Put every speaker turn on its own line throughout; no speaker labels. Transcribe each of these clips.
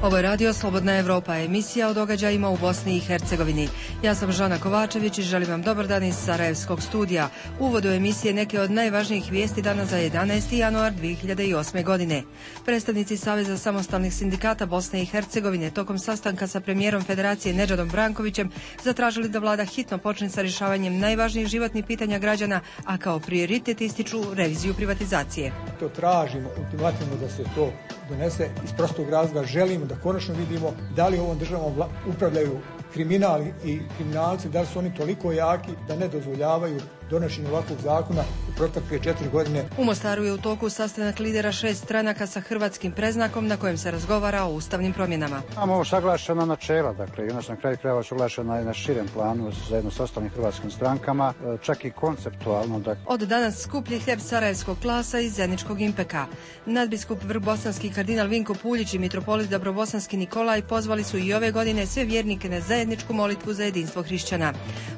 Ovo je Radio Slobodna Evropa, emisija o događajima u Bosni i Hercegovini. Ja sam Žana Kovačević i želim vam dobar dan iz Sarajevskog studija. U uvodu emisije neke od najvažnijih vijesti dana za 11. januar 2008. godine. Predstavnici Saveza samostalnih sindikata Bosne i Hercegovine tokom sastanka sa premijerom Federacije Nedžadom Brankovićem zatražili da vlada hitno počne sa rješavanjem najvažnijih životnih pitanja građana, a kao prioritet ističu reviziju privatizacije.
To tražimo ultimativno da se to donese iz prostog razloga. Želimo da konačno vidimo da li ovom državom upravljaju kriminali i kriminalci, da li su oni toliko jaki da ne dozvoljavaju donošenje ovakvog zakona u protekle 4 godine.
U Mostaru je u toku sastanak lidera 6 stranaka sa hrvatskim predznakom na kojem se razgovara o ustavnim promjenama.
Imamo ovo saglašena načela, dakle, i ona na kraju krajeva saglašena i na širem planu zajedno sa ostalim hrvatskim strankama, čak i konceptualno. Dakle.
Od danas skuplji hljeb sarajevskog klasa iz Zeničkog Impeka. Nadbiskup vrhbosanski kardinal Vinko Puljić i mitropolit Dabrobosanski Nikolaj pozvali su i ove godine sve vjernike na zajedničku molitvu za jedinstvo hrišćana.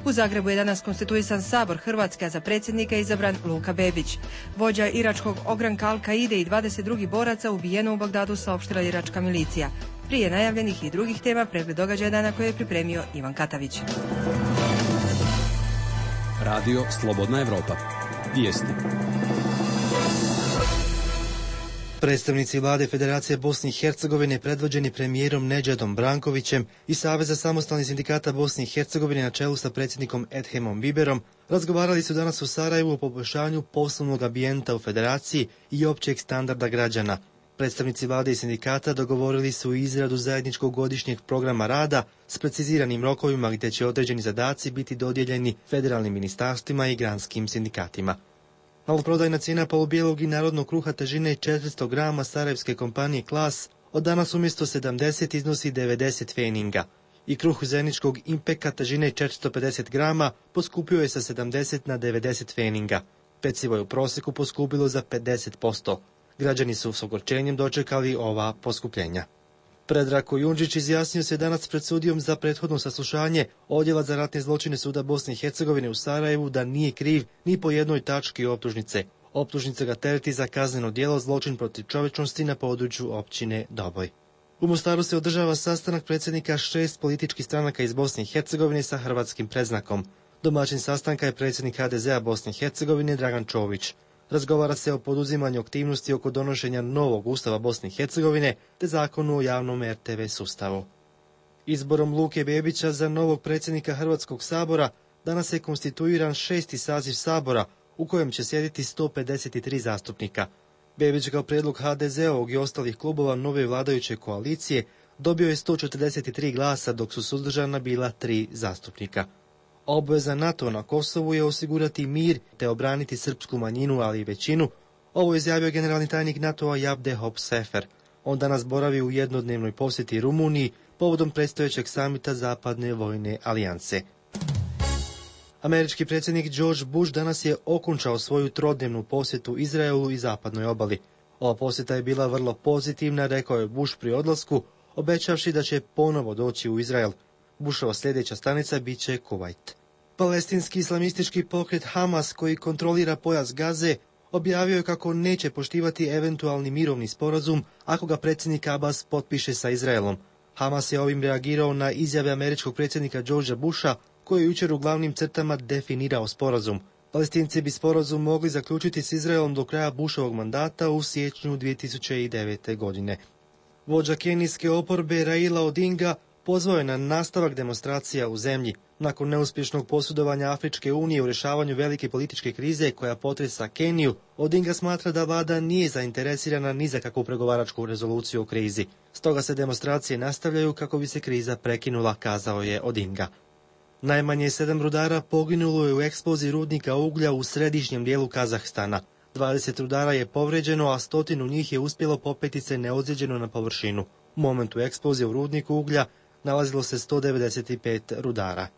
U Zagrebu je danas konstituisan sabor Hrvatske, a za predsjednika izabran Luka Bebić. Vođa iračkog ogranka Al-Kaide i 22 boraca ubijeno u Bagdadu, saopštila iračka milicija. Prije najavljenih i drugih tema pregled događaja dana koje je pripremio Ivan Katavić.
Radio Slobodna Evropa. Vijesti.
Predstavnici vlade Federacije Bosne i Hercegovine predvođeni premijerom Nedžadom Brankovićem i Saveza samostalnih sindikata Bosne i Hercegovine na čelu sa predsjednikom Edhemom Biberom razgovarali su danas u Sarajevu o poboljšanju poslovnog ambijenta u Federaciji i općeg standarda građana. Predstavnici vlade i sindikata dogovorili su izradu zajedničkog godišnjeg programa rada s preciziranim rokovima gdje će određeni zadaci biti dodijeljeni federalnim ministarstvima i granskim sindikatima. Maloprodajna cijena polubijelog i narodnog kruha težine 400 grama sarajevske kompanije Klas od danas umjesto 70 iznosi 90 feninga i kruh Zeničkog Impeka težine 450 grama poskupio je sa 70 na 90 feninga. Pecivo je u prosjeku poskupilo za 50%. Građani su s ogorčenjem dočekali ova poskupljenja. Predrag Kojundžić izjasnio se danas pred sudijom za prethodno saslušanje Odjela za ratne zločine Suda Bosne i Hercegovine u Sarajevu da nije kriv ni po jednoj tački optužnice. Optužnica ga tereti za kazneno djelo zločin protiv čovječnosti na području općine Doboj. U Mostaru se održava sastanak predsjednika 6 političkih stranaka iz Bosne i Hercegovine sa hrvatskim predznakom. Domaćin sastanka je predsjednik HDZ-a Bosne i Hercegovine Dragan Čović. Razgovara se o poduzimanju aktivnosti oko donošenja novog ustava Bosne i Hercegovine te zakonu o javnom RTV sustavu. Izborom Luke Bebića za novog predsjednika Hrvatskog sabora danas je konstituiran 6. saziv sabora u kojem će sjediti 153 zastupnika. Bebić kao prijedlog HDZ-ovog i ostalih klubova nove vladajuće koalicije dobio je 143 glasa dok su suzdržana bila 3 zastupnika. Obveza NATO na Kosovu je osigurati mir te obraniti srpsku manjinu, ali i većinu. Ovo je izjavio generalni tajnik NATO-a Jabde Hop Sefer. On danas boravi u jednodnevnoj posjeti Rumuniji povodom predstojećeg samita Zapadne vojne alijanse. Američki predsjednik George Bush danas je okončao svoju trodnevnu posjetu Izraelu i zapadnoj obali. Ova posjeta je bila vrlo pozitivna, rekao je Bush pri odlasku, obećavši da će ponovo doći u Izrael. Bushova sljedeća stanica bit će Kuvajt. Palestinski islamistički pokret Hamas, koji kontrolira pojas Gaze, objavio je kako neće poštivati eventualni mirovni sporazum ako ga predsjednik Abbas potpiše sa Izraelom. Hamas je ovim reagirao na izjave američkog predsjednika Georgea Busha, koji je jučer u glavnim crtama definirao sporazum. Palestinci bi sporazum mogli zaključiti s Izraelom do kraja Bushovog mandata u siječnju 2009. godine. Vođa kenijske oporbe Raila Odinga pozvao je na nastavak demonstracija u zemlji. Nakon neuspješnog posudovanja Afričke unije u rješavanju velike političke krize koja potresa Keniju, Odinga smatra da vlada nije zainteresirana ni za kakvu pregovaračku rezoluciju o krizi. Stoga se demonstracije nastavljaju kako bi se kriza prekinula, kazao je Odinga. Najmanje 7 rudara poginulo je u eksploziji rudnika uglja u središnjem dijelu Kazahstana. 20 rudara je povređeno, a 100 njih je uspjelo popeti se neozlijeđeno na površinu. U momentu eksplozije u rudniku uglja nalazilo se 195 rudara.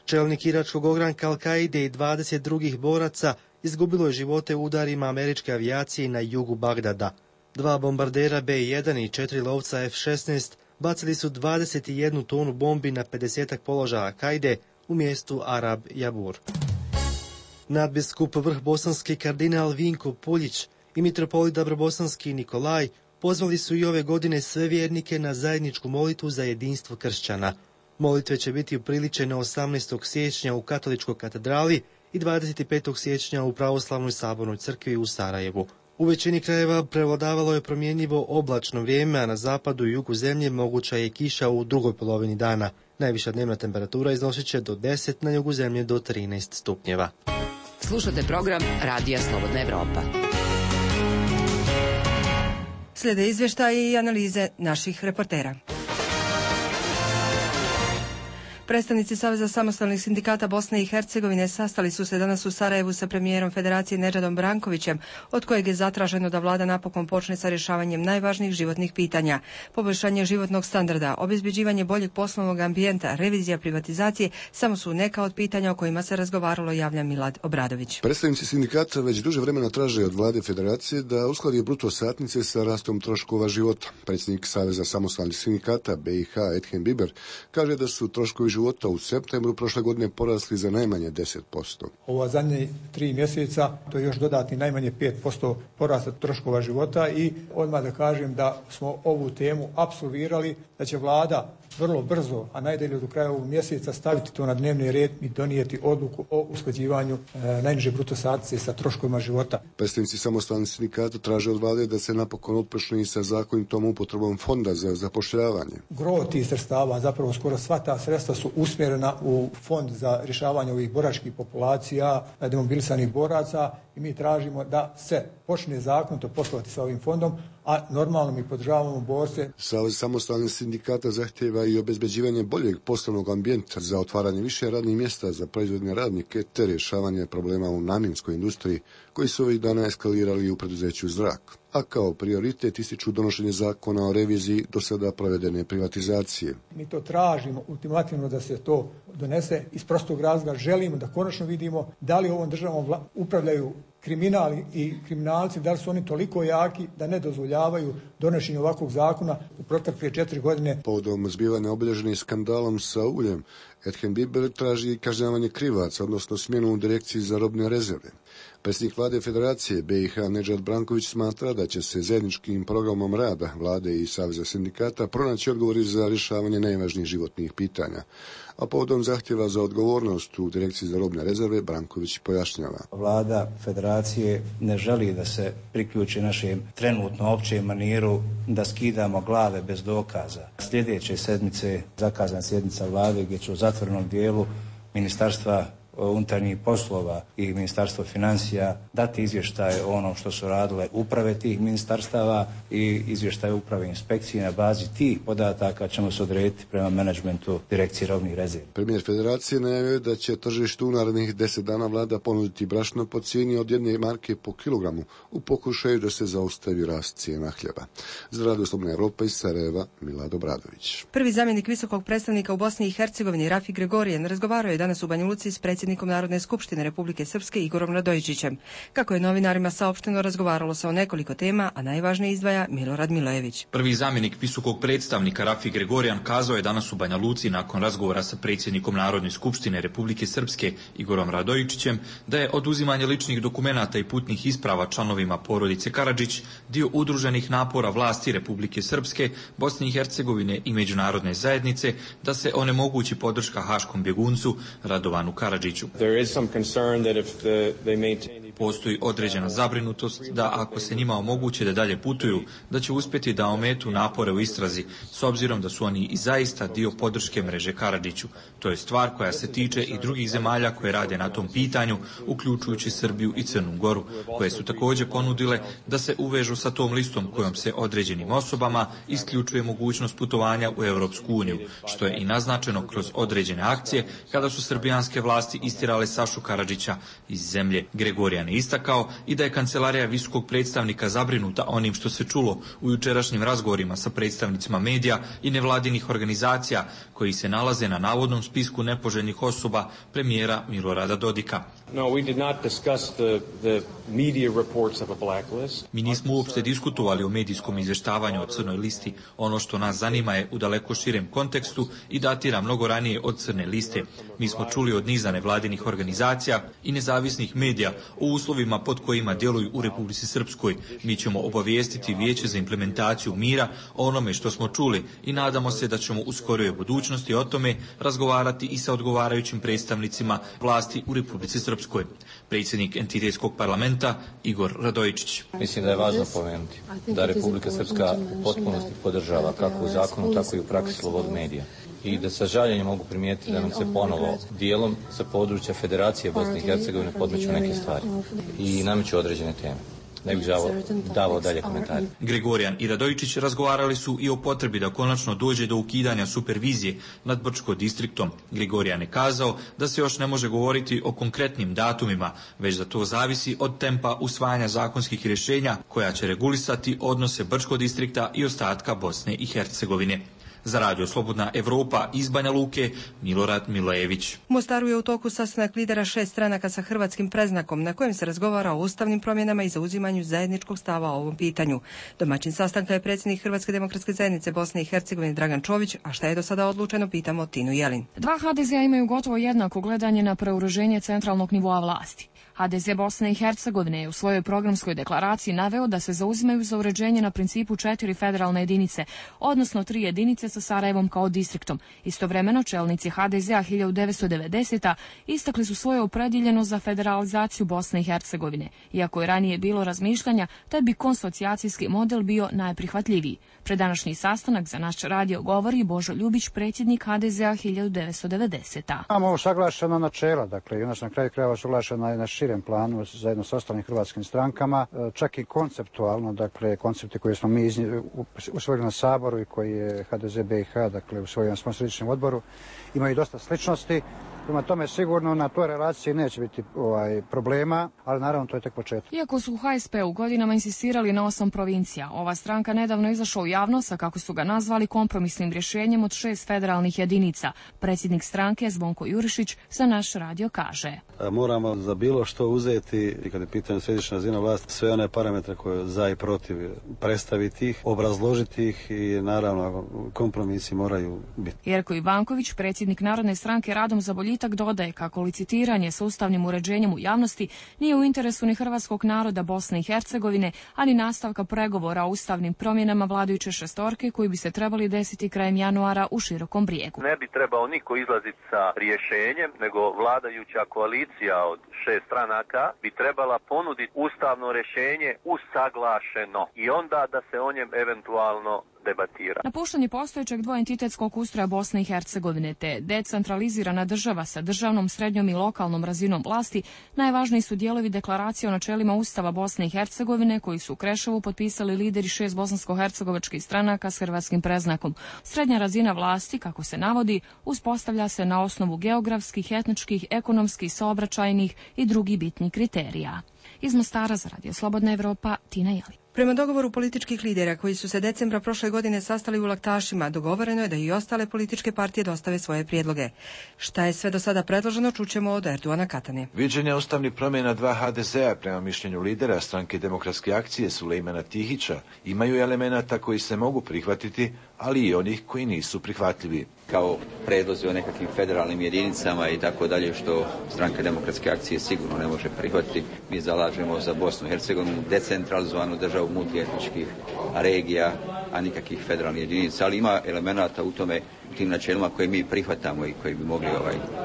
Čelnik iračkog ogranka Al-Kaide i 20 drugih boraca izgubilo je živote u udarima američke avijacije na jugu Bagdada. 2 bombardera B-1 i 4 lovca F-16 bacili su 21 tonu bombi na 50 položaja Al-Kaide u mjestu Arab Jabur. Nadbiskup vrhbosanski kardinal Vinko Puljić i mitropolit Dabrobosanski Nikolaj pozvali su i ove godine sve vjernike na zajedničku molitvu za jedinstvo kršćana. Molitve će biti upriličene 18. siječnja u Katoličkoj katedrali i 25. siječnja u Pravoslavnoj sabornoj crkvi u Sarajevu. U većini krajeva prevladavalo je promjenjivo oblačno vrijeme, a na zapadu i jugu zemlje moguća je kiša u drugoj polovini dana. Najviša dnevna temperatura iznosit će do 10, na jugu zemlje do 13 stupnjeva.
Slušate program Radija Slobodna Evropa.
Slijede izvještaji i analize naših reportera. Predstavnici Saveza samostalnih sindikata Bosne i Hercegovine sastali su se danas u Sarajevu sa premijerom Federacije Nedžadom Brankovićem, od kojeg je zatraženo da vlada napokon počne sa rješavanjem najvažnijih životnih pitanja. Poboljšanje životnog standarda, obezbeđivanje boljeg poslovnog ambijenta, revizija privatizacije samo su neka od pitanja o kojima se razgovaralo, javlja Milad Obradović.
Predstavnici sindikata već duže vremena traže od vlade Federacije da uskladi bruto satnice sa rastom troškova života. Predsjednik Saveza samostalnih sindikata BiH Edhem Biber kaže da su troškovi života u septembru prošle godine porasli za najmanje 10%.
Ova zadnje 3 mjeseca to je još dodatni najmanje 5% porasta troškova života i odmah da kažem da smo ovu temu apsolvirali, da će vlada vrlo brzo, a najdalje do kraja ovog mjeseca staviti to na dnevni red i donijeti odluku o usklađivanju najniže bruto satnice sa troškovima života.
Predstavnici samostalnih sindikata traže od vlade da se napokon otpočne sa zakonitom upotrebom fonda za zapošljavanje.
Gro tih sredstava, zapravo skoro sva ta sredstva su usmjerena u fond za rješavanje ovih boračkih populacija, demobilisanih boraca i mi tražimo da se počne zakonito poslovati sa ovim fondom, a normalno mi podržavamo borce.
Savez samostalnih sindikata zahtjeva i obezbeđivanje boljeg poslovnog ambijenta za otvaranje više radnih mjesta za proizvodne radnike te rješavanje problema u namjenskoj industriji koji su ovih dana eskalirali u preduzeću Zrak. A kao prioritet ističu donošenje zakona o reviziji do sada provedene privatizacije.
Mi to tražimo ultimativno da se to donese iz prostog razloga. Želimo da konačno vidimo da li ovom državom upravljaju kriminal i kriminalci, da li su oni toliko jaki da ne dozvoljavaju donošenje ovakvog zakona u protekle 4 godine.
Povodom zbivanja obilježenih skandalom sa uljem, Edhem Biber traži kažnjavanje krivaca, odnosno smjenu u direkciji za robne rezerve. Predsjednik vlade Federacije BiH Nedžad Branković smatra da će se zajedničkim programom rada vlade i Saveza sindikata pronaći odgovori za rješavanje najvažnijih životnih pitanja. A povodom zahtjeva za odgovornost u direkciji za robne rezerve Branković pojašnjava.
Vlada Federacije ne želi da se priključi našem trenutno općem maniru da skidamo glave bez dokaza. Sljedeće sedmice zakazana sjednica vlade gdje će u zatvorenom dijelu Ministarstva unutarnjih poslova i Ministarstvo financija dati izvještaje o onom što su radile uprave tih ministarstava i izvještaje uprave inspekcije. Na bazi tih podataka ćemo se odrediti prema menadžmentu direkcije robnih rezervi.
Premijer Federacije najavio da će tržištu u narednih 10 dana vlada ponuditi brašno po cijeni od 1 marke po kilogramu u pokušaju da se zaustavi rast cijena hljeba. Za Radio Slobodna Evropa iz Sarajeva, Milad Obradović.
Prvi zamjenik visokog predstavnika u Bosni i Hercegovini Rafi Gregorijan razgovarao je danas u Banja Luci s predsjednikom Narodne skupštine Republike Srpske Igorom Radojičićem. Kako je novinarima saopšteno, razgovaralo se o nekoliko tema, a najvažnije izdvaja Milorad Milojević.
Prvi zamjenik visokog predstavnika Rafi Gregorijan kazao je danas u Banja Luci nakon razgovora sa predsjednikom Narodne skupštine Republike Srpske Igorom Radojičićem da je oduzimanje ličnih dokumenata i putnih isprava članovima porodice Karadžić dio udruženih napora vlasti Republike Srpske, Bosne i Hercegovine i međunarodne zajednice da se onemogući podrška haškom bjeguncu Radovanu Karadžiću. Postoji određena zabrinutost da ako se njima omoguće da dalje putuju, da će uspjeti da ometu napore u istrazi, s obzirom da su oni i zaista dio podrške mreže Karadžiću. To je stvar koja se tiče i drugih zemalja koje rade na tom pitanju, uključujući Srbiju i Crnu Goru, koje su također ponudile da se uvežu sa tom listom kojom se određenim osobama isključuje mogućnost putovanja u Europsku uniju, što je i naznačeno kroz određene akcije kada su srbijanske vlasti istirale Sašu Karadžića iz zemlje. Gregorijan je istakao i da je kancelarija visokog predstavnika zabrinuta onim što se čulo u jučerašnjim razgovorima sa predstavnicima medija i nevladinih organizacija koji se nalaze na navodnom spisku nepoželjnih osoba premijera Milorada Dodika. Mi nismo uopšte diskutovali o medijskom izvještavanju o crnoj listi. Ono što nas zanima je u daleko širem kontekstu i datira mnogo ranije od crne liste. Mi smo čuli od niza nevladinih organizacija i nezavisnih medija o uslovima pod kojima djeluju u Republici Srpskoj. Mi ćemo obavijestiti Vijeće za implementaciju mira o onome što smo čuli i nadamo se da ćemo u skorijoj budućnosti o tome razgovarati i sa odgovarajućim predstavnicima vlasti u Republici Srpskoj. Predsjednik entitetskog parlamenta Igor Radojičić.
Mislim da je važno pomenuti da Republika Srpska u potpunosti podržava kako u zakonu, tako i u praksi slobodu medija. I da sa žaljenjem mogu primijetiti da nam se ponovo dijelom sa područja Federacije Bosne i Hercegovine podmeću neke stvari i nameću određene teme. Ne bih davao dalje komentare.
Gregorijan i Radojičić razgovarali su i o potrebi da konačno dođe do ukidanja supervizije nad Brčko distriktom. Gregorijan je kazao da se još ne može govoriti o konkretnim datumima, već da to zavisi od tempa usvajanja zakonskih rješenja koja će regulisati odnose Brčko distrikta i ostatka Bosne i Hercegovine. Za Radio Slobodna Evropa iz Banja Luke, Milorad Milojević.
U Mostaru je u toku sastanak lidera 6 stranaka sa hrvatskim predznakom na kojem se razgovara o ustavnim promjenama i zauzimanju zajedničkog stava o ovom pitanju. Domaćin sastanka je predsjednik Hrvatske demokratske zajednice Bosne i Hercegovine Dragan Čović, a šta je do sada odlučeno pitamo Tinu Jelin.
Dva HDZ-a imaju gotovo jednako gledanje na preureženje centralnog nivoa vlasti. HDZ Bosne i Hercegovine je u svojoj programskoj deklaraciji naveo da se zauzimaju za uređenje na principu 4 federalne jedinice, odnosno 3 jedinice sa Sarajevom kao distriktom. Istovremeno čelnici HDZ-a 1990. istakli su svoje opredjeljenost za federalizaciju Bosne i Hercegovine, iako je ranije bilo razmišljanja da bi konsocijacijski model bio najprihvatljiviji. Pred današnji sastanak za naš radio govori Božo Ljubić, predsjednik HDZ-a 1990.
Imamo usaglašena načela, dakle, i ona na kraju krajeva usaglašena je na širem planu zajedno sa ostalim hrvatskim strankama, čak i konceptualno, dakle, koncepte koje smo mi usvojili na Saboru i koji je HDZ BiH, dakle, usvojili na svom središnjem odboru, imaju dosta sličnosti. Prema tome sigurno na toj relaciji neće biti problema, ali naravno to je tek početak.
Iako su u HSP-u godinama insistirali na 8 provincija, ova stranka nedavno izašla u javnost, a kako su ga nazvali, kompromisnim rješenjem od 6 federalnih jedinica. Predsjednik stranke Zvonko Jurišić za naš radio kaže:
moramo za bilo što uzeti, i kad je pitanje središnja razina vlasti, sve one parametre koje za i protiv, predstaviti ih, obrazložiti ih i naravno kompromisi moraju biti.
Jerko Ivanković, predsjednik Narodne stranke Radom za boljitak, dodaje kako licitiranje sa ustavnim uređenjem u javnosti nije u interesu ni hrvatskog naroda Bosne i Hercegovine, ani nastavka pregovora o ustavnim promjenama vladajuće šestorke koji bi se trebali desiti krajem januara u Širokom Brijegu.
Ne bi trebao niko izlaziti sa rješenjem, nego vladajuća koalicija od 6 stranaka bi trebala ponuditi ustavno rješenje usaglašeno i onda da se o njem eventualno debatira.
Napuštanje postojećeg dvoentitetskog ustroja Bosne i Hercegovine te decentralizirana država sa državnom, srednjom i lokalnom razinom vlasti najvažniji su dijelovi deklaracije o načelima Ustava Bosne i Hercegovine koji su u Kreševu potpisali lideri 6 bosansko-hercegovačkih stranaka s hrvatskim predznakom. Srednja razina vlasti, kako se navodi, uspostavlja se na osnovu geografskih, etničkih, ekonomskih, saobraćajnih i drugih bitnih kriterija. Iz Mostara za Radio Slobodna Evropa, Tina Jelin.
Prema dogovoru političkih lidera koji su se decembra prošle godine sastali u Laktašima, dogovoreno je da i ostale političke partije dostave svoje prijedloge. Šta je sve do sada predloženo, čućemo od Erduana Katane.
Viđenja ustavnih promjena 2 HDZ-a prema mišljenju lidera stranke Demokratske akcije Sulejmana Tihića imaju elemenata koji se mogu prihvatiti, ali i onih koji nisu prihvatljivi.
Kao predlozi o nekakvim federalnim jedinicama i tako dalje, što stranka Demokratske akcije sigurno ne može prihvatiti. Mi zalažemo za Bosnu i Hercegovinu, decentralizovanu državu multietničkih regija, a nikakvih federalnih jedinica, ali ima elemenata u tome, u tim načelima koje mi prihvatamo i koji bi mogli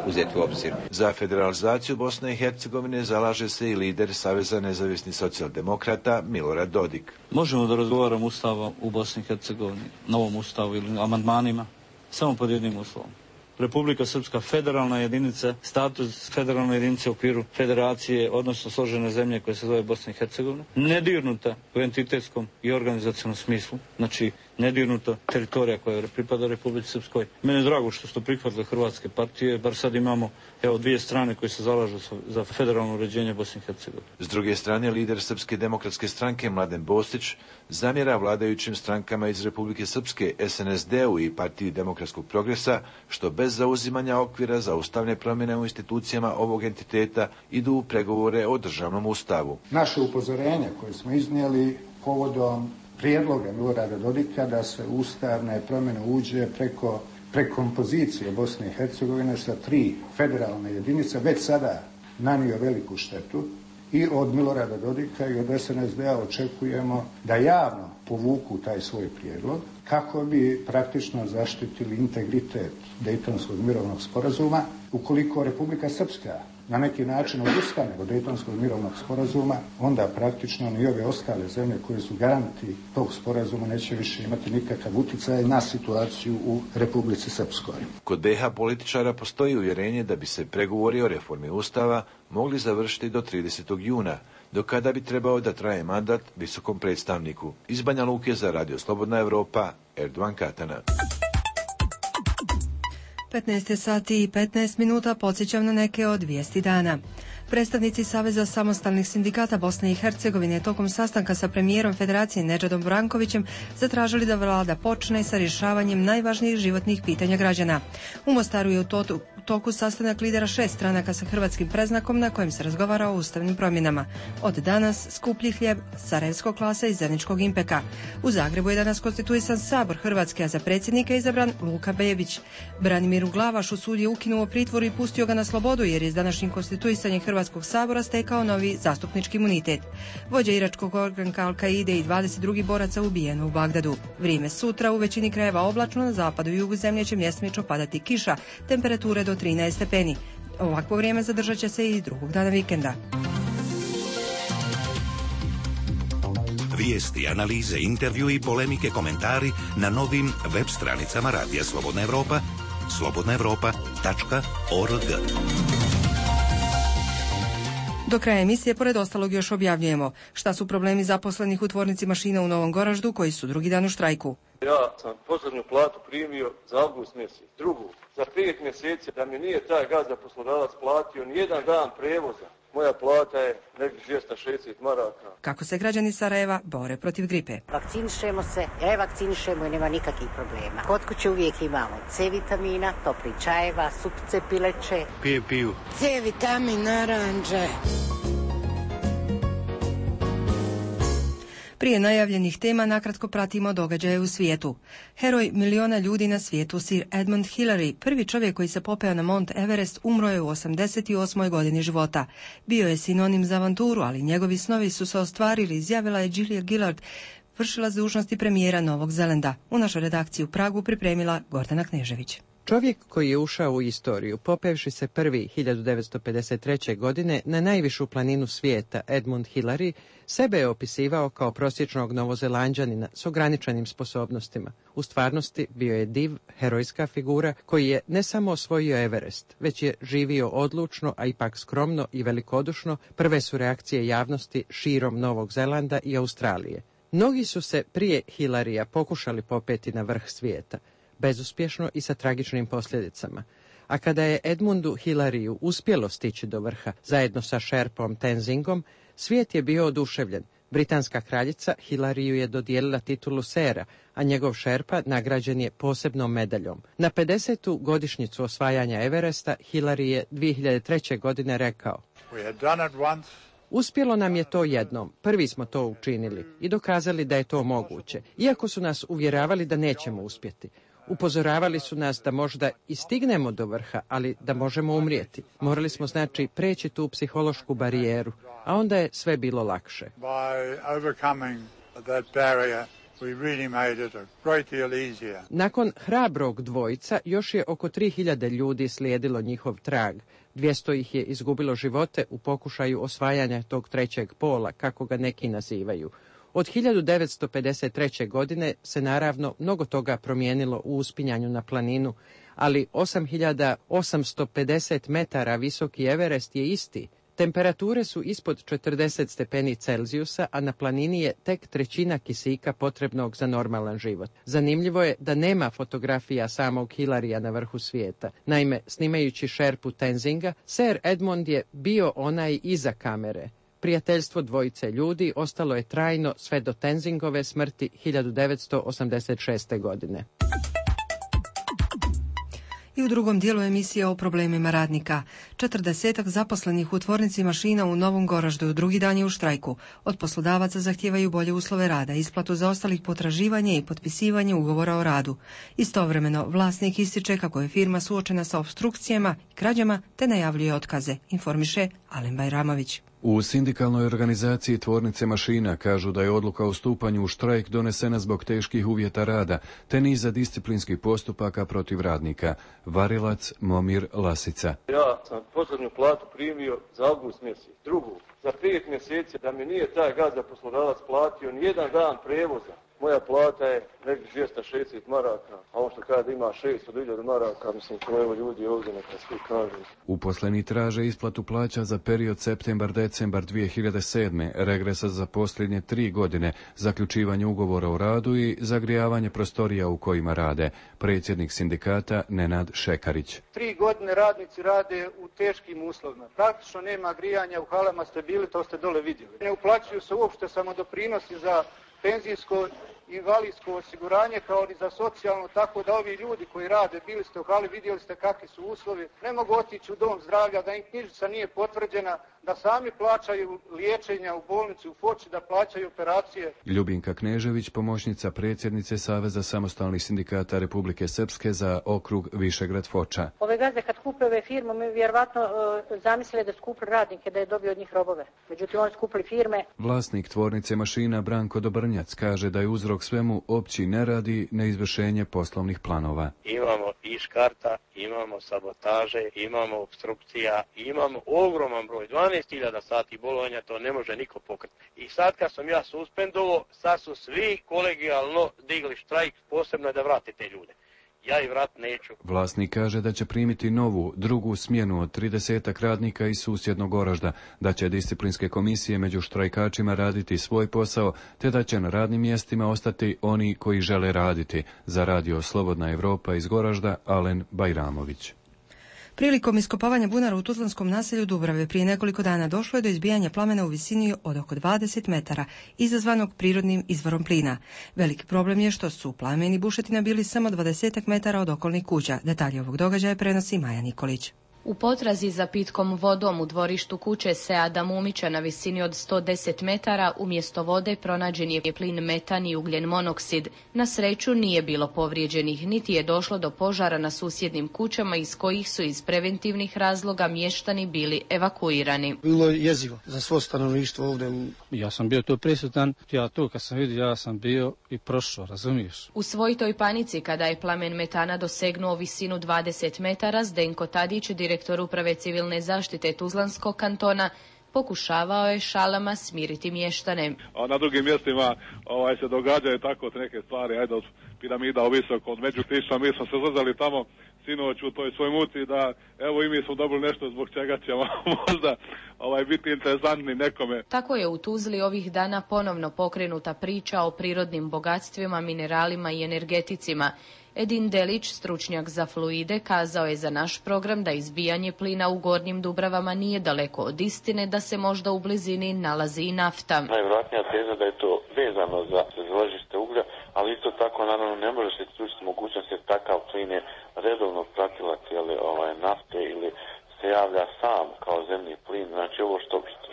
uzeti u obzir.
Za federalizaciju Bosne i Hercegovine zalaže se i lider Saveza nezavisnih socijaldemokrata Milorad Dodik.
Možemo da razgovaramo ustavu u Bosni i Hercegovini, novom ustavu ili amandmanima, samo pod jednim uslovom. Republika Srpska federalna jedinica, status federalne jedinice u okviru federacije, odnosno složene zemlje koje se zove Bosna i Hercegovina, nedirnuta u entitetskom i organizacionom smislu, znači nedirnuta teritorija koja pripada Republici Srpskoj. Meni je drago što su prihvatile hrvatske partije, bar sad imamo 2 strane koje se zalažu za federalno uređenje Bosne i Hercegovine.
S druge strane, lider Srpske demokratske stranke Mladen Bostić zamjera vladajućim strankama iz Republike Srpske, SNSD-u i Partiji demokratskog progresa, što bez zauzimanja okvira za ustavne promjene u institucijama ovog entiteta idu u pregovore o državnom ustavu.
Naše upozorenje koje smo iznijeli povodom prijedloga Milorada Dodika da se ustavne promjene uđe preko prekompozicije Bosne i Hercegovine sa 3 federalne jedinice već sada nanio veliku štetu i od Milorada Dodika i od SNSD-a očekujemo da javno povuku taj svoj prijedlog kako bi praktično zaštitili integritet Dejtonskog mirovnog sporazuma. Ukoliko Republika Srpska na neki način odustane od Dejtonskog mirovnog sporazuma, onda praktično ni ove ostale zemlje koje su garanti tog sporazuma neće više imati nikakav utjecaj na situaciju u Republici Srpskoj.
Kod BiH političara postoji uvjerenje da bi se pregovori o reformi Ustava mogli završiti do 30. juna, do kada bi trebao da traje mandat visokom predstavniku. Iz Banja Luke za Radio Slobodna Evropa, Erdovan Katana.
15 sati i 15 minuta, podsjećam na neke od vijesti dana. Predstavnici Saveza samostalnih sindikata Bosne i Hercegovine tokom sastanka sa premijerom Federacije Nedžadom Brankovićem zatražili da vlada počne sa rješavanjem najvažnijih životnih pitanja građana. U Mostaru je u toku sastanak lidera 6 stranaka sa hrvatskim preznakom na kojem se razgovara o ustavnim promjenama. Od danas skuplji hljeb, Sarajevskog klasa i Zeničkog Impeka. U Zagrebu je danas konstituisan Sabor Hrvatske, a za predsjednika izabran Luka Bebić. Branimiru Glavašu sud je ukinuo pritvor i pustio ga na slobodu jer je s današnjim konstituisanjem Hrvatskog sabora stekao novi zastupnički imunitet. Vođa iračkog ogranka Al-Kaide i 22 boraca ubijeno u Bagdadu. Vrijeme sutra u većini krajeva oblačno, na zapadu i jugu zemlje će mjestimično padati kiša, temperature do 13 stepeni. Ovakvo vrijeme zadržat će se i drugog dana vikenda.
Vijesti, analize, intervju i polemike, komentari na novim web stranicama Radija Slobodna Evropa, slobodnaevropa.org.
Do kraja emisije, pored ostalog, još objavljujemo šta su problemi zaposlenih u tvornici mašina u Novom Goraždu koji su drugi dan u štrajku.
Ja sam poslednju platu primio za avgust mjesec, drugu za 5 mjeseci, da mi nije taj gazda poslodavac platio ni jedan dan prevoza. Moja plata je negdje 260 maraka.
Kako se građani Sarajeva bore protiv gripe?
Vakcinišemo se, vakcinišemo i nema nikakvih problema. Kod kuće uvijek imamo C vitamina, topli čajeva, supce pileće.
Piju.
C vitamin, naranđe.
Prije najavljenih tema nakratko pratimo događaje u svijetu. Heroj miliona ljudi na svijetu, Sir Edmund Hillary, prvi čovjek koji se popeo na Mount Everest, umro je u 88. godini života. Bio je sinonim za avanturu, ali njegovi snovi su se ostvarili, izjavila je Julia Gillard, vršilac dužnosti premijera Novog Zelanda. U našoj redakciji u Pragu pripremila Gordana Knežević.
Čovjek koji je ušao u istoriju, popevši se prvi 1953. godine na najvišu planinu svijeta, Edmund Hillary, sebe je opisivao kao prosječnog Novozelanđanina s ograničenim sposobnostima. U stvarnosti bio je div, herojska figura koji je ne samo osvojio Everest, već je živio odlučno, a ipak skromno i velikodušno. Prve su reakcije javnosti širom Novog Zelanda i Australije. Mnogi su se prije Hillarya pokušali popeti na vrh svijeta, bezuspješno i sa tragičnim posljedicama. A kada je Edmundu Hillaryu uspjelo stići do vrha, zajedno sa šerpom Tenzingom, svijet je bio oduševljen. Britanska kraljica Hillaryu je dodijelila titulu sera, a njegov šerpa nagrađen je posebnom medaljom. Na 50. godišnjicu osvajanja Everesta Hillary je 2003. godine rekao: Uspjelo nam je to jednom, prvi smo to učinili i dokazali da je to moguće, iako su nas uvjeravali da nećemo uspjeti. Upozoravali su nas da možda i stignemo do vrha, ali da možemo umrijeti. Morali smo znači preći tu psihološku barijeru, a onda je sve bilo lakše. Nakon hrabrog dvojca još je oko 3000 ljudi slijedilo njihov trag. 200 ih je izgubilo živote u pokušaju osvajanja tog trećeg pola, kako ga neki nazivaju. Od 1953. godine se naravno mnogo toga promijenilo u uspinjanju na planinu, ali 8850 metara visoki Everest je isti. Temperature su ispod 40 stepeni Celzijusa, a na planini je tek trećina kisika potrebnog za normalan život. Zanimljivo je da nema fotografija samog Hillarya na vrhu svijeta. Naime, snimajući šerpu Tenzinga, Sir Edmund je bio onaj iza kamere. Prijateljstvo dvojice ljudi ostalo je trajno sve do Tenzingove smrti 1986. godine.
I u drugom dijelu emisije o problemima radnika. 40 zaposlenih u tvornici mašina u Novom Goraždu drugi dan je u štrajku. Od poslodavaca zahtijevaju bolje uslove rada, isplatu zaostalih potraživanja i potpisivanje ugovora o radu. Istovremeno, vlasnik ističe kako je firma suočena sa opstrukcijama i krađama te najavljuje otkaze, informiše Alen Bajramović.
U sindikalnoj organizaciji tvornice mašina kažu da je odluka o stupanju u štrajk donesena zbog teških uvjeta rada te niza disciplinskih postupaka protiv radnika. Varilac Momir Lasica.
Ja sam posljednju platu primio za avgust mjesec. Drugu, za 5 mjeseci da mi nije taj gazda poslodavac platio ni jedan dan prevoza. Moja plata je nekih 260 maraka, a ovo što kada ima 600.000 maraka, mislim, to evo ljudi ovdje neka svi kažu.
Uposleni traže isplatu plaća za period septembar-decembar 2007. regresa za posljednje 3 godine, zaključivanje ugovora o radu i zagrijavanje prostorija u kojima rade. Predsjednik sindikata Nenad Šekarić.
3 godine radnici rade u teškim uslovima. Praktično nema grijanja, u halama ste bili, to ste dole vidjeli. Ne uplaćuju se uopšte samodoprinosi za penzijsko invalidsko osiguranje kao i za socijalno, tako da ovi ljudi koji rade, bili ste u hali, vidjeli ste kakvi su uslovi, ne mogu otići u dom zdravlja, da im knjižica nije potvrđena, da sami plaćaju liječenja u bolnici u Foči, da plaćaju operacije.
Ljubinka Knežević, pomoćnica predsjednice Saveza samostalnih sindikata Republike Srpske za okrug Višegrad Foča.
Ove gazde kad kupe ove firme, mi vjerovatno zamislili da skupli radnike, da je dobio od njih robove. Međutim, oni skupli firme.
Vlasnik tvornice mašina Branko Dobrnjac kaže da je uzrok svemu opći nerad i neizvršenje poslovnih planova.
Imamo iškarta, imamo sabotaže, imamo obstrukcija, imamo ogroman broj, 12.000 sati bolovanja, to ne može niko pokriti. I sad kad sam ja suspendovao, sad su svi kolegijalno digli štrajk, posebno da vrate te ljude. Ja i vrat neću.
Vlasnik kaže da će primiti novu, drugu smjenu od 30 radnika iz susjednog Goražda, da će disciplinske komisije među štrajkačima raditi svoj posao, te da će na radnim mjestima ostati oni koji žele raditi. Za radio Slobodna Evropa iz Goražda, Alen Bajramović.
Prilikom iskopavanja bunara u tuzlanskom naselju Dubrave prije nekoliko dana došlo je do izbijanja plamena u visini od oko 20 metara, izazvanog prirodnim izvorom plina. Veliki problem je što su plameni bušetina bili samo 20 metara od okolnih kuća. Detalje ovog događaja prenosi Maja Nikolić.
U potrazi za pitkom vodom u dvorištu kuće Seada Mumića na visini od 110 metara umjesto vode pronađen je plin metan i ugljen monoksid. Na sreću nije bilo povrijeđenih, niti je došlo do požara na susjednim kućama iz kojih su iz preventivnih razloga mještani bili evakuirani.
Bilo je jezivo za svo stanovništvo ovdje.
Ja sam bio tu prisutan, kad sam vidio, ja sam bio i prošao, razumiješ?
U svojitoj panici kada je plamen metana dosegnuo visinu 20 metara, Zdenko Tadić, direktor uprave civilne zaštite Tuzlanskog kantona, pokušavao je šalama smiriti mještane.
A na drugim mjestima se događaju tako neke stvari, ajde od piramida visoko, od Međukrišća, mi smo se zazali tamo sinoć u toj svoj muci da evo i mi smo dobili nešto zbog čega ćemo možda biti interesantni nekome.
Tako je u Tuzli ovih dana ponovno pokrenuta priča o prirodnim bogatstvima, mineralima i energeticima. Edin Delić, stručnjak za fluide, kazao je za naš program da izbijanje plina u Gornjim Dubravama nije daleko od istine, da se možda u blizini nalazi i nafta.
Najvjerojatnija teza da je to vezano za ložište uglja, ali isto tako naravno ne može se isključiti mogućnost jer takav plin je redovno pratilac nafte ili se javlja sam kao zemni plin. Znači ovo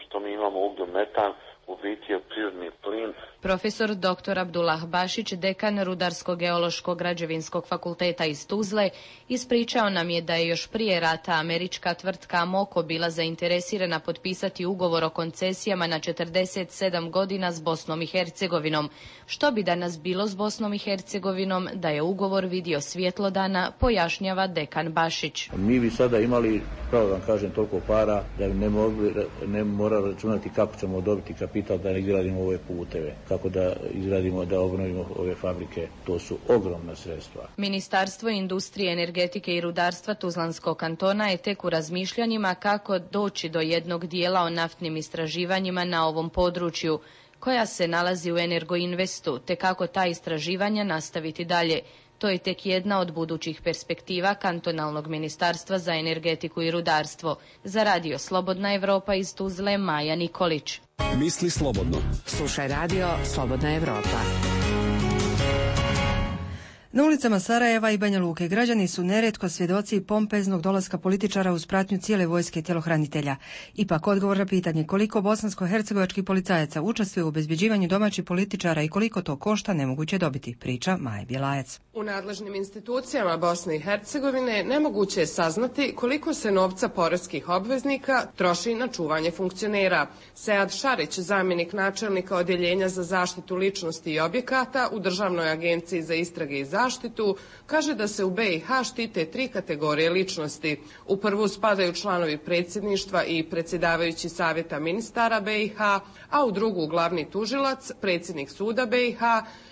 što mi imamo uglju metan u biti je prirodni plin.
Profesor dr. Abdullah Bašić, dekan Rudarsko-geološkog građevinskog fakulteta iz Tuzle, ispričao nam je da je još prije rata američka tvrtka Amoco bila zainteresirana potpisati ugovor o koncesijama na 47 godina s Bosnom i Hercegovinom. Što bi danas bilo s Bosnom i Hercegovinom da je ugovor vidio svjetlo dana, pojašnjava dekan Bašić.
Mi bi sada imali, pravo da vam kažem, toliko para da ne mora računati kako ćemo dobiti kapital da izgradimo ove puteve, kako da izgradimo, da obnovimo ove fabrike. To su ogromna sredstva.
Ministarstvo industrije, energetike i rudarstva Tuzlanskog kantona je tek u razmišljanjima kako doći do jednog dijela o naftnim istraživanjima na ovom području, koja se nalazi u Energoinvestu, te kako ta istraživanja nastaviti dalje. To je tek jedna od budućih perspektiva Kantonalnog ministarstva za energetiku i rudarstvo. Za radio Slobodna Evropa iz Tuzle, Maja Nikolić.
Misli slobodno.
Slušaj radio Slobodna Evropa.
Na ulicama Sarajeva i Banja Luke građani su neretko svjedoci pompeznog dolaska političara uz pratnju cijele vojske tjelohranitelja. Ipak odgovor na pitanje koliko bosansko-hercegovačkih policajaca učestvuje u obezbjeđivanju domaćih političara i koliko to košta nemoguće dobiti, priča Maja Bjelajac.
U nadležnim institucijama Bosne i Hercegovine nemoguće je saznati koliko se novca poreskih obveznika troši na čuvanje funkcionera. Sead Šarić, zamjenik načelnika Odjeljenja za zaštitu ličnosti i objekata u Državnoj agenciji za istrage i zaštitu, kaže da se u BiH štite 3 kategorije ličnosti. U prvu spadaju članovi predsjedništva i predsjedavajući savjeta ministara BiH, a u drugu glavni tužilac, predsjednik suda BiH,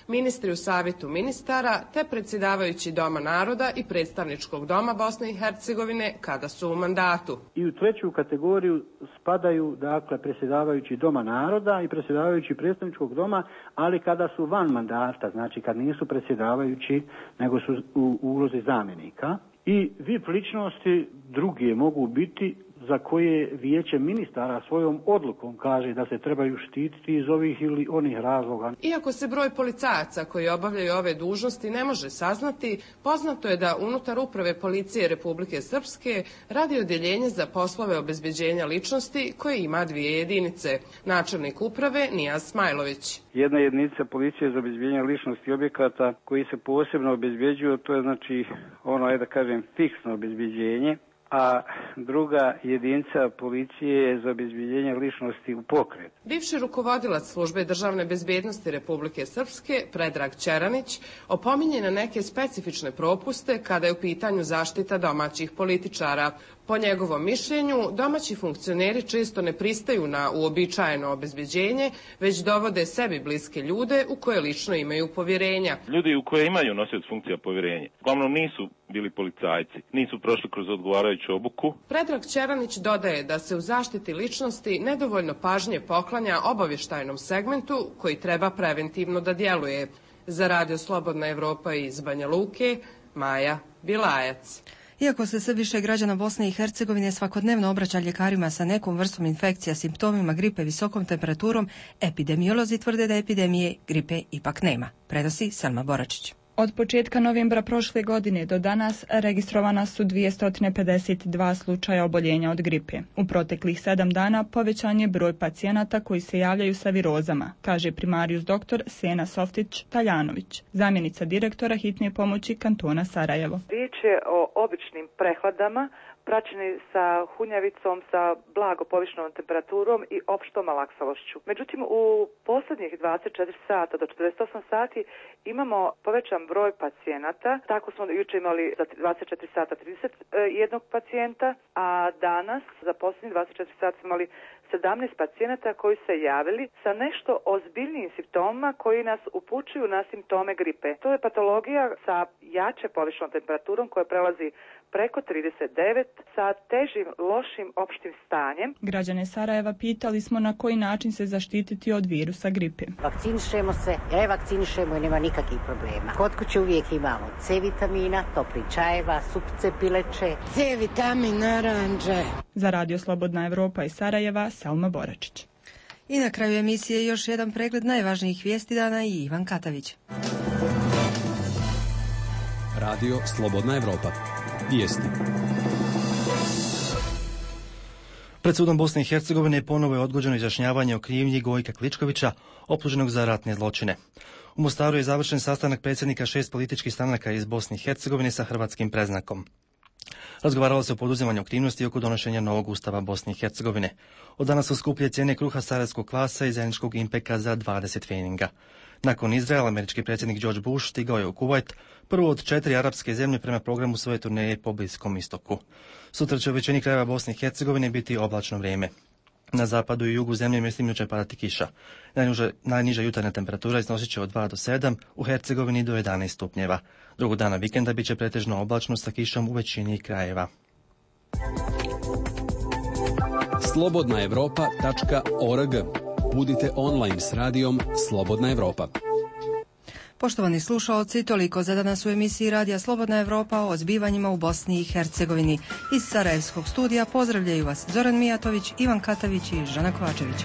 ministri u savjetu ministara, te predsjedavajući Doma naroda i predstavničkog doma Bosne i Hercegovine kada su u mandatu.
I u treću kategoriju spadaju, dakle, predsjedavajući Doma naroda i predsjedavajući predstavničkog doma, ali kada su van mandata, znači kad nisu predsjedavajući, nego su u ulozi zamjenika. I VIP ličnosti druge mogu biti za koje vijeće ministara svojom odlukom kaže da se trebaju štititi iz ovih ili onih razloga.
Iako se broj policajaca koji obavljaju ove dužnosti ne može saznati, poznato je da unutar uprave policije Republike Srpske radi odjeljenje za poslove obezbeđenja ličnosti koje ima 2 jedinice. Načelnik uprave Nijaz Smajlović.
Jedna jedinica policije za obezbeđenje ličnosti objekata koji se posebno obezbeđuju, to je znači ono, da kažem, fiksno obezbeđenje, a druga jedinica policije je za obezbeđenje ličnosti u pokret.
Bivši rukovodilac službe državne bezbednosti Republike Srpske, Predrag Čeranić, opominje na neke specifične propuste kada je u pitanju zaštita domaćih političara. Po njegovom mišljenju, domaći funkcioneri često ne pristaju na uobičajeno obezbeđenje, već dovode sebi bliske ljude u koje lično imaju povjerenja.
Ljudi u koje imaju nosioc funkcija povjerenja, uglavnom nisu bili policajci, nisu prošli kroz odgovarajuću obuku.
Predrag Čeranić dodaje da se u zaštiti ličnosti nedovoljno pažnje poklanja obavještajnom segmentu koji treba preventivno da djeluje. Za Radio Slobodna Evropa iz Banja Luke, Maja Bjelajac.
Iako se sve više građana Bosne i Hercegovine svakodnevno obraća ljekarima sa nekom vrstom infekcija, simptomima gripe, visokom temperaturom, epidemiolozi tvrde da epidemije gripe ipak nema, prenosi Selma Boračić.
Od početka novembra prošle godine do danas registrovana su 252 slučaja oboljenja od gripe. U proteklih 7 dana povećan je broj pacijenata koji se javljaju sa virozama, kaže primarijus dr. Sena Softić-Taljanović, zamjenica direktora hitne pomoći kantona Sarajevo.
Riječ je o običnim prehladama, praćeni sa hunjavicom, sa blago povišenom temperaturom i opštom malaksalošću. Međutim, u posljednjih 24 sata do 48 sati imamo povećan broj pacijenata. Tako smo jučer imali za 24 sata 31 pacijenta, a danas za posljednjih 24 sata smo imali 17 pacijenata koji se javili sa nešto ozbiljnijim simptomima koji nas upućuju na simptome gripe. To je patologija sa jače povišenom temperaturom koja prelazi preko 39 sa težim, lošim opštim stanjem.
Građane Sarajeva pitali smo na koji način se zaštititi od virusa gripe.
Vakcinišemo se, ja vakcinišemo i nema nikakvih problema. Kod kuće uvijek imamo C vitamina, topli čajeva, supce pileće, C vitamin, naranđe.
Za Radio Slobodna Evropa iz Sarajeva, Selma Boračić.
I na kraju emisije još jedan pregled najvažnijih vijesti dana i Ivan Katavić.
Radio Slobodna Evropa. Vijesti.
Pred sudom Bosne i Hercegovine ponovo je odgođeno izjašnjavanje o krivnji Gojka Kličkovića, optuženog za ratne zločine. U Mostaru je završen sastanak predsjednika 6 političkih stranaka iz Bosne i Hercegovine sa hrvatskim predznakom. Razgovaralo se o poduzimanju aktivnosti oko donošenja novog ustava Bosne i Hercegovine. Od danas su skuplje cijene kruha sarajevskog kvasa i zajedničkog impeka za 20 pfeninga. Nakon Izraela, američki predsjednik George Bush stigao je u Kuvajt, prvo od 4 arapske zemlje prema programu svoje turneje po Bliskom istoku. Sutra će u većini krajeva Bosne i Hercegovine biti oblačno vrijeme. Na zapadu i jugu zemlje mjestima će padati kiša. Najniža jutarnja temperatura iznosit će od 2 do 7, u Hercegovini do 11 stupnjeva. Drugog dana vikenda bit će pretežno oblačno sa kišom u većini krajeva.
slobodnaevropa.org. Budite online s radijom Slobodna Evropa.
Poštovani slušaoci, toliko za danas u emisiji Radija Slobodna Evropa o zbivanjima u Bosni i Hercegovini. Iz Sarajevskog studija pozdravljaju vas Zoran Mijatović, Ivan Katavić i Žana Kovačević.